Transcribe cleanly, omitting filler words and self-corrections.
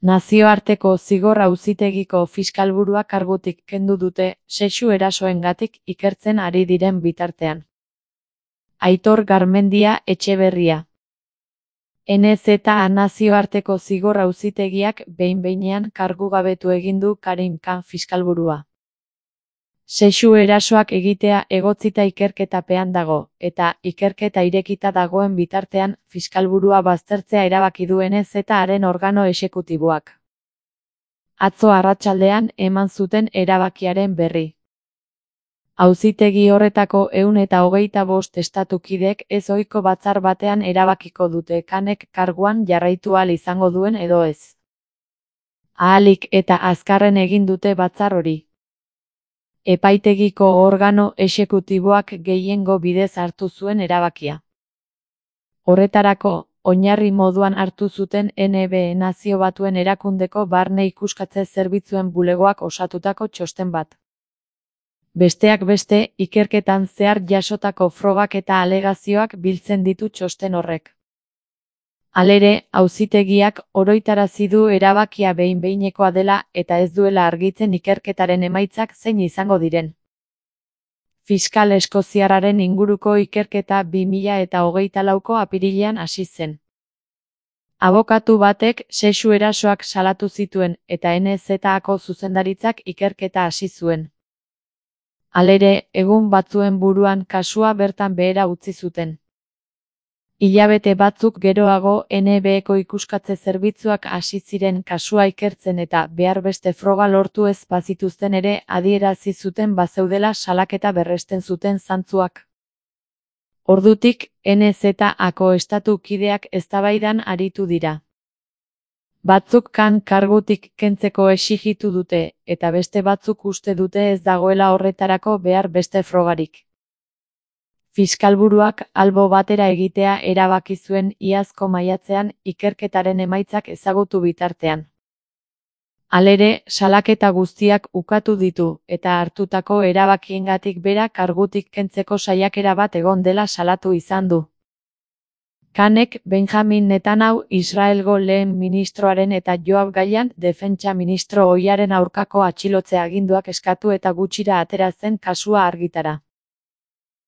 Nazioarteko Zigor Auzitegiko fiskalburua kargutik kendu dute sexu erasoengatik ikertzen ari diren bitartean. Aitor Garmendia Etxeberria. NZA Nazioarteko Zigor Auzitegiak behin-behinean kargugabetu egin du Karim Khan fiskalburua. Sexu erasoak egitea egotzita ikerketapean dago, eta ikerketa irekita dagoen bitartean fiskalburua baztertzea erabaki du NZA-aren organo exekutiboak. Atzo arratsaldean eman zuten erabakiaren berri. Auzitegi horretako 125 estatukidek ez ohiko batzar batean erabakiko dute Khanek karguan jarraitu ahal izango duen edo ez. Ahalik eta azkarren egin dute batzar hori. Epaitegiko organo exekutiboak gehiengo bidez hartu zuen erabakia. Horretarako, oinarri moduan hartu zuten NB Nazio Batuen Erakundeko Barne Ikuskatze Zerbitzuen bulegoak osatutako txosten bat. Besteak beste, ikerketan zehar jasotako frogak eta alegazioak biltzen ditu txosten horrek. Halere, auzitegiak oroitarazi du erabakia behin-behinekoa dela eta ez duela argitzen ikerketaren emaitzak zein izango diren. Fiskal eskoziarraren inguruko ikerketa 2024ko apirilean hasi zen. Abokatu batek sexu erasoak salatu zituen eta NZA-ko zuzendaritzak ikerketa hasi zuen. Halere, egun batzuen buruan kasua bertan behera utzi zuten. Hilabete batzuk geroago NB-ko ikuskatze zerbitzuak hasi ziren kasua ikertzen eta behar beste froga lortu ez bazituzten ere adierazi zuten bazeudela salaketa berresten zuten zantzuak. Ordutik, NZA-ko estatu kideak eztabaidan aritu dira. Batzuk Khan kargutik kentzeko exijitu dute, eta beste batzuk uste dute ez dagoela horretarako behar beste frogarik. Fiskalburuak albo batera egitea erabaki zuen iazko maiatzean ikerketaren emaitzak ezagutu bitartean. Halere, salaketa guztiak ukatu ditu eta hartutako erabakiengatik bera kargutik kentzeko saiakera bat egon dela salatu izan du. Khanek Benjamin Netanyahu Israelgo lehen ministroaren eta Yoav Gallant defentsa ministro ohiaren aurkako atxilotze aginduak eskatu eta gutxira atera zen kasua argitara.